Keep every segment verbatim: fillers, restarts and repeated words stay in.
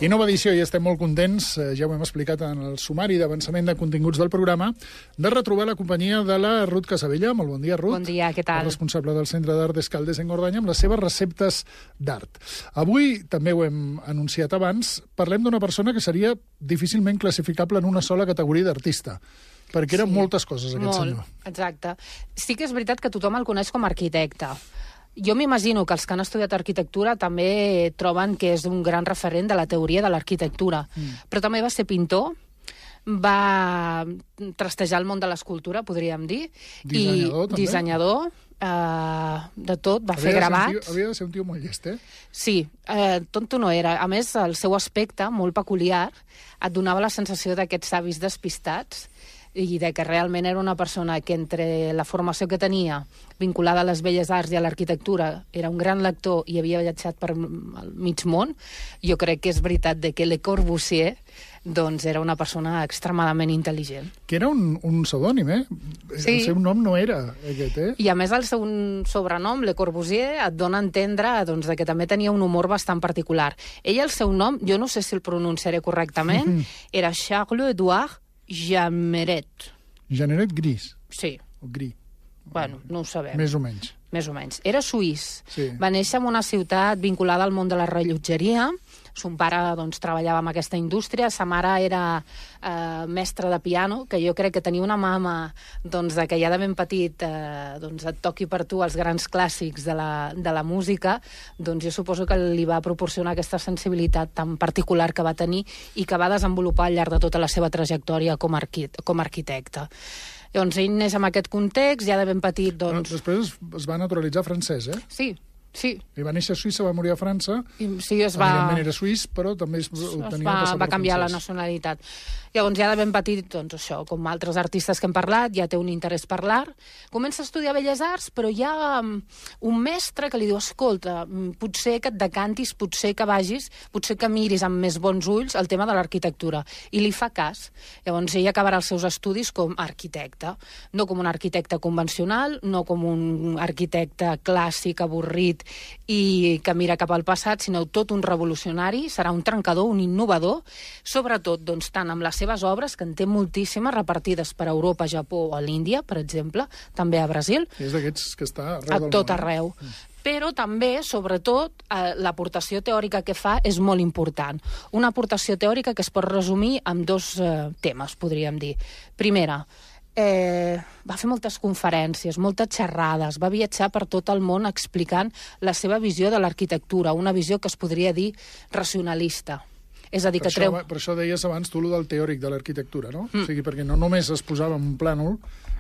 I nova edició, i estem molt contents, ja ho hem explicat en el sumari d'avançament de continguts del programa, de retrobar la companyia de la Ruth Casabella. Molt bon dia, Ruth. Bon dia, què tal? La responsable del Centre d'Art d'Escaldes en Gordanya, amb les seves receptes d'art. Avui, també ho hem anunciat abans, parlem d'una persona que seria difícilment classificable en una sola categoria d'artista, perquè eren sí, moltes coses, aquest molt, senyor. Exacte. Sí que és veritat que tothom el coneix com a arquitecte. Jo m'imagino que els que han estudiat arquitectura també troben que és un gran referent de la teoria de l'arquitectura. Mm. Però també va ser pintor, va trastejar el món de l'escultura, podríem dir. Dissenyador, i també. Dissenyador, eh, de tot, va havia fer de gravats. Tio, havia de ser un tio molt llest, eh? Sí, eh, tonto no era. A més, el seu aspecte, molt peculiar, et donava la sensació d'aquests avis despistats, i de que realment era una persona que entre la formació que tenia vinculada a les belles arts i a l'arquitectura era un gran lector i havia viatjat per el mig món. Jo crec que és veritat de que Le Corbusier doncs era una persona extremadament intel·ligent. Que era un, un pseudònim, eh? Sí. El seu nom no era aquest, eh? I a més el seu sobrenom, Le Corbusier, et dona a entendre doncs, que també tenia un humor bastant particular. Ell, el seu nom, jo no sé si el pronunciaré correctament, mm-hmm. era Charles-Édouard Jameret. Janeret Gris. Sí. O Gris. Bueno, no ho sabem. Més o menys. Més o menys. Era suís. Sí. Va néixer en una ciutat vinculada al món de la rellotgeria. Son pare doncs, treballava en aquesta indústria. Sa mare era eh, mestra de piano, que jo crec que tenia una mama doncs, que ja de ben petit eh, doncs, et toqui per tu els grans clàssics de la, de la música. Doncs jo suposo que li va proporcionar aquesta sensibilitat tan particular que va tenir i que va desenvolupar al llarg de tota la seva trajectòria com a, arqui com a arquitecte. Llavors, ell neix en aquest context, ja de ben petit, doncs... Però després es, es va naturalitzar francès, eh? Sí, sí. I va néixer a Suïssa, va morir a França. I, sí, es va... Evidentment era suís, però també es, es tenia va, passaport va canviar francès. la nacionalitat. Llavors, ja de ben petit, doncs això, com altres artistes que hem parlat, ja té un interès per l'art. Comença a estudiar Belles Arts, però hi ha um, un mestre que li diu, escolta, potser que et decantis, potser que vagis, potser que miris amb més bons ulls el tema de l'arquitectura. I li fa cas. Llavors, ell acabarà els seus estudis com a arquitecte. No com un arquitecte convencional, no com un arquitecte clàssic, avorrit, i que mira cap al passat, sinó tot un revolucionari, serà un trencador, un innovador, sobretot doncs, tant amb les seves obres, que en té moltíssimes, repartides per Europa, Japó o a l'Índia, per exemple, també a Brasil. És d'aquests que està arreu a del tot món. arreu. Mm. Però també, sobretot, eh, l'aportació teòrica que fa és molt important. Una aportació teòrica que es pot resumir amb dos eh, temes, podríem dir. Primera, Eh, va fer moltes conferències, moltes xerrades, va viatjar per tot el món explicant la seva visió de l'arquitectura, una visió que es podria dir racionalista. És a dir, per que treu... Això, per això deies abans tu, lo del teòric de l'arquitectura, no? Mm. O sigui, perquè no només es posava en un plànol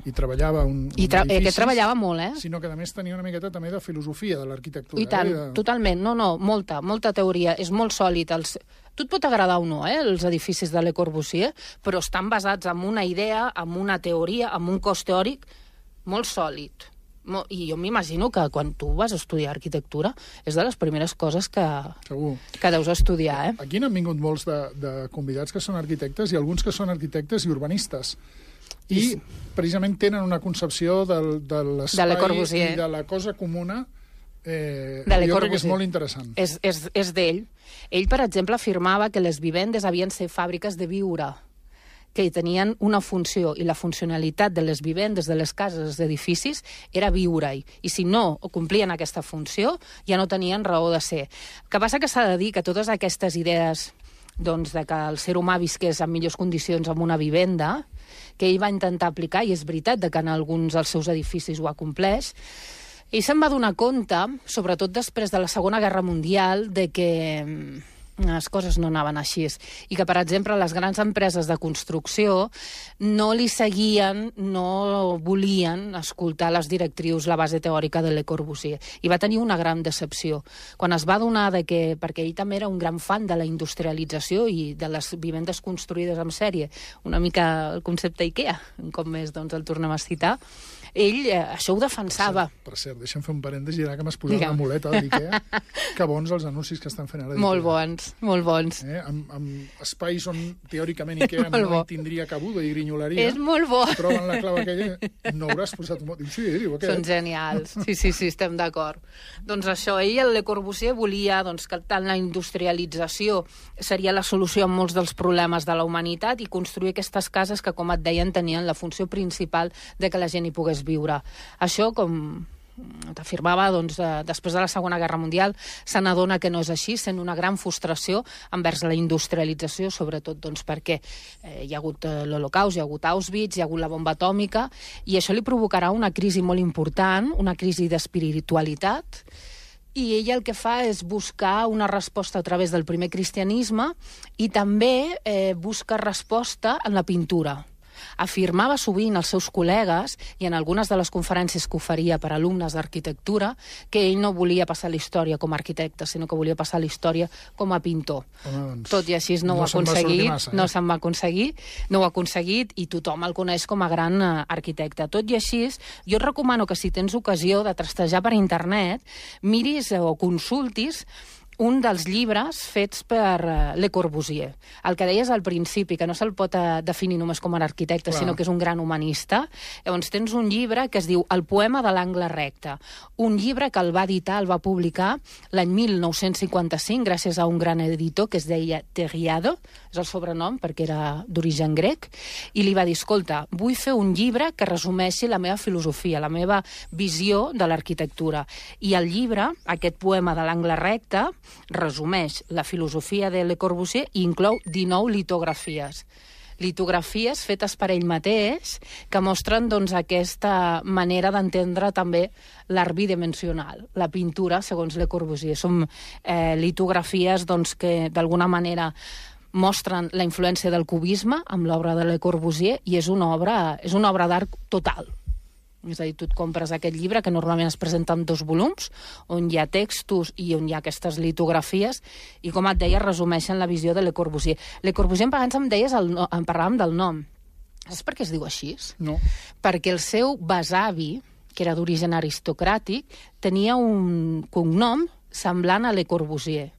i treballava un, I tra un edificis, edificis, que treballava molt, eh? Sinó que, a més, tenia una miqueta també de filosofia de l'arquitectura. I tant, eh? de... totalment. No, no, molta, molta teoria. És molt sòlid. Els... Tu et pot agradar o no, eh, els edificis de Le Corbusier, però estan basats en una idea, en una teoria, en un cos teòric molt sòlid. I jo m'imagino que quan tu vas a estudiar arquitectura és de les primeres coses que, que deus estudiar. Eh? Aquí n'han vingut molts de, de convidats que són arquitectes i alguns que són arquitectes i urbanistes. I sí, precisament tenen una concepció del, de l'espai de i de la cosa comuna eh, de jo crec que és molt interessant. És, és, és d'ell. Ell, per exemple, afirmava que les vivendes havien de ser fàbriques de viure, que tenien una funció, i la funcionalitat de les vivendes, de les cases, dels edificis, era viure-hi. I si no complien aquesta funció, ja no tenien raó de ser. El que passa que s'ha de dir que totes aquestes idees doncs, de que el ser humà visqués en millors condicions en una vivenda, que ell va intentar aplicar, i és veritat que en alguns dels seus edificis ho ha compleix, ell se'n va donar compte, sobretot després de la Segona Guerra Mundial, de que les coses no anaven així. I que, per exemple, les grans empreses de construcció no li seguien, no volien escoltar les directrius, la base teòrica de Le Corbusier. I va tenir una gran decepció. Quan es va donar de que, perquè ell també era un gran fan de la industrialització i de les vivendes construïdes en sèrie, una mica el concepte IKEA, un cop més doncs el tornem a citar, ell eh, això ho defensava. Per cert, per cert, deixa'm fer un parèntesi, ara que m'has posat una muleta d'IKEA, que bons els anuncis que estan fent ara d'IKEA. Molt bons. bons, molt bons. Eh? Amb, amb espais on teòricament Ikea no hi tindria cabuda i grinyolaria. És molt bo. Troben la clau aquella, no hauràs posat un mot. Diu, sí, diu, aquest. Són genials. Sí, sí, sí, estem d'acord. Doncs això, ell, el Le Corbusier, volia doncs, que tant la industrialització seria la solució a molts dels problemes de la humanitat i construir aquestes cases que, com et deien, tenien la funció principal de que la gent hi pogués viure. Això, com t'afirmava, doncs, eh, després de la Segona Guerra Mundial, se n'adona que no és així, sent una gran frustració envers la industrialització, sobretot doncs, perquè eh, hi ha hagut eh, l'Holocaust, hi ha hagut Auschwitz, hi ha hagut la bomba atòmica, i això li provocarà una crisi molt important, una crisi d'espiritualitat, i ell el que fa és buscar una resposta a través del primer cristianisme i també eh, busca resposta en la pintura. Afirmava sovint als seus col·legues, i en algunes de les conferències que oferia per a alumnes d'arquitectura, que ell no volia passar la història com a arquitecte, sinó que volia passar la història com a pintor. Home, doncs, Tot i així no, no ho ha aconseguit, massa, eh? no se'n va aconseguir, no ho ha aconseguit, i tothom el coneix com a gran uh, arquitecte. Tot i així, jo et recomano que si tens ocasió de trastejar per internet, miris o consultis un dels llibres fets per uh, Le Corbusier. El que deies al principi, que no se'l pot uh, definir només com a arquitecte, Clar. sinó que és un gran humanista. Llavors tens un llibre que es diu El poema de l'angle recte. Un llibre que el va editar, el va publicar l'any mil nou-cents cinquanta-cinc, gràcies a un gran editor que es deia Terriado, és el sobrenom perquè era d'origen grec, i li va dir, escolta, vull fer un llibre que resumeixi la meva filosofia, la meva visió de l'arquitectura. I el llibre, aquest poema de l'angle recte, resumeix la filosofia de Le Corbusier i inclou dinou litografies. Litografies fetes per ell mateix que mostren doncs, aquesta manera d'entendre també l'art bidimensional, la pintura, segons Le Corbusier. Són eh, litografies doncs, que d'alguna manera mostren la influència del cubisme amb l'obra de Le Corbusier i és una obra, és una obra d'art total. És a dir, tu et compres aquest llibre, que normalment es presenta en dos volums, on hi ha textos i on hi ha aquestes litografies, i com et deia, resumeixen la visió de Le Corbusier. Le Corbusier, en pagans, em deies, el no, en parlàvem del nom. Saps per què es diu així? No. Perquè el seu besavi, que era d'origen aristocràtic, tenia un cognom semblant a Le Corbusier,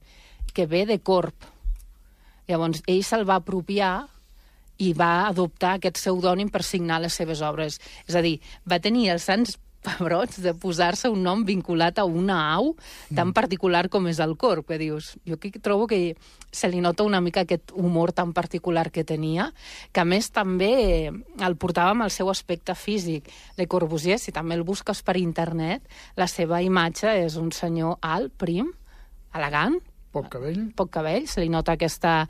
que ve de corp. Llavors, ell se'l va apropiar i va adoptar aquest pseudònim per signar les seves obres. És a dir, va tenir els sants pebrots de posar-se un nom vinculat a una au tan particular com és el corp, que dius. Jo aquí trobo que se li nota una mica aquest humor tan particular que tenia, que a més també el portava amb el seu aspecte físic. Le Corbusier, si també el busques per internet, la seva imatge és un senyor alt, prim, elegant, Poc cabell. Poc cabell, se li nota aquesta...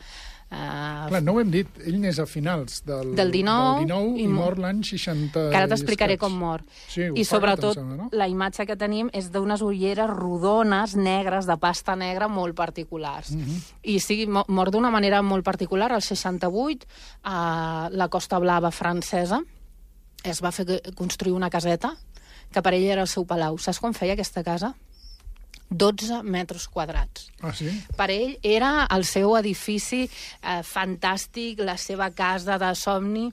Uh, Clar, no ho hem dit, ell n'és a finals del, del dinou, del dinou i, i mor l'any seixanta. Que ara t'explicaré com mor. Sí, I sobretot sembla, no? La imatge que tenim és d'unes ulleres rodones, negres, de pasta negra, molt particulars. Uh -huh. I sí, mor d'una manera molt particular, al seixanta-vuit, a la Costa Blava francesa, es va fer construir una caseta, que per ell era el seu palau. Saps com feia aquesta casa? dotze metres quadrats. Ah, sí? Per ell era el seu edifici eh, fantàstic, la seva casa de somni,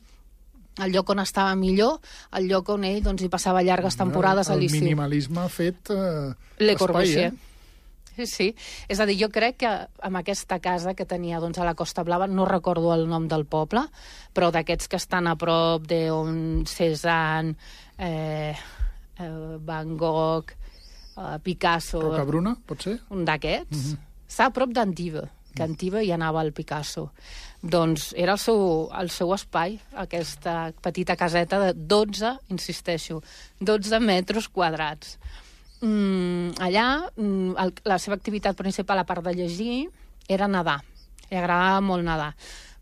el lloc on estava millor, el lloc on ell doncs, hi passava llargues temporades a l'estiu. El minimalisme ha fet eh, Le Corbusier. Eh? Sí, sí. És a dir, jo crec que amb aquesta casa que tenia doncs, a la Costa Blava, no recordo el nom del poble, però d'aquests que estan a prop d'on Cézanne, eh, eh, Van Gogh, Uh, Picasso... Rocabruna, pot ser? Un d'aquests. Uh Mhm. -huh. Està a prop d'Antiva, que a Antiva hi anava el Picasso. Doncs era el seu, el seu espai, aquesta petita caseta de dotze, insisteixo, dotze metres quadrats. Mm, allà, mm, el, la seva activitat principal, a part de llegir, era nedar. Li agradava molt nedar.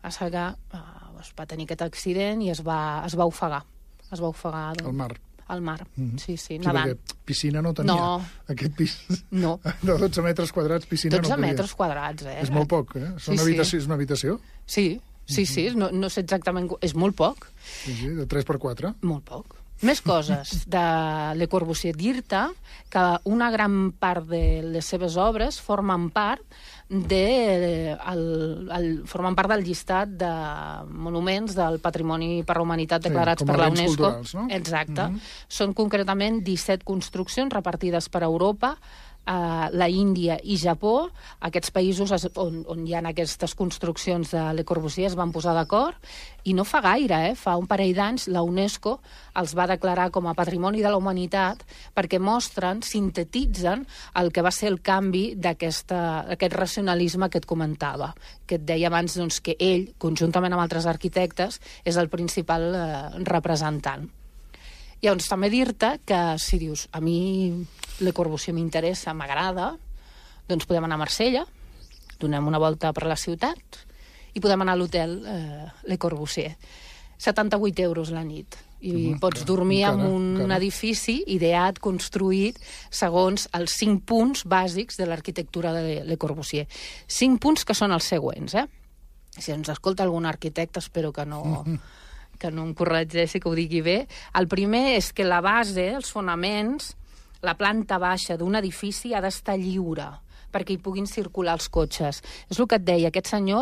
Va ser que uh, es va tenir aquest accident i es va, es va ofegar. Es va ofegar... Al mar. Al mar, mm -hmm. sí, sí, sí, nedant. Piscina no tenia. No. Aquest pis no. de dotze metres quadrats, piscina no podia. dotze metres quadrats, eh? És molt poc, eh? És, sí, una, habitació, sí. és una habitació? Sí, sí, sí, no, no sé exactament... És molt poc. Sí, sí, de tres per quatre. Molt poc. Més coses de Le Corbusier. Dir-te que una gran part de les seves obres formen part de, el, el, formen part del llistat de monuments del Patrimoni per la Humanitat declarats sí, per la UNESCO. No? Exacte. Mm -hmm. Són concretament disset construccions repartides per Europa, Uh, la Índia i Japó, aquests països es, on, on hi ha aquestes construccions de Le Corbusier es van posar d'acord, i no fa gaire, eh, fa un parell d'anys, la UNESCO els va declarar com a Patrimoni de la Humanitat perquè mostren, sintetitzen el que va ser el canvi d'aquest racionalisme que et comentava, que et deia abans doncs, que ell, conjuntament amb altres arquitectes, és el principal eh, representant. Llavors, també dir-te que si dius, a mi Le Corbusier m'interessa, m'agrada, doncs podem anar a Marsella, donem una volta per la ciutat i podem anar a l'hotel eh, Le Corbusier. setanta-vuit euros la nit. I mm, pots dormir encara, en un encara. edifici ideat, construït, segons els cinc punts bàsics de l'arquitectura de Le Corbusier. Cinc punts que són els següents, eh? Si ens escolta algun arquitecte, espero que no... Mm-hmm. que no em corregeixi, que ho digui bé. El primer és que la base, els fonaments, la planta baixa d'un edifici ha d'estar lliure perquè hi puguin circular els cotxes. És el que et deia, aquest senyor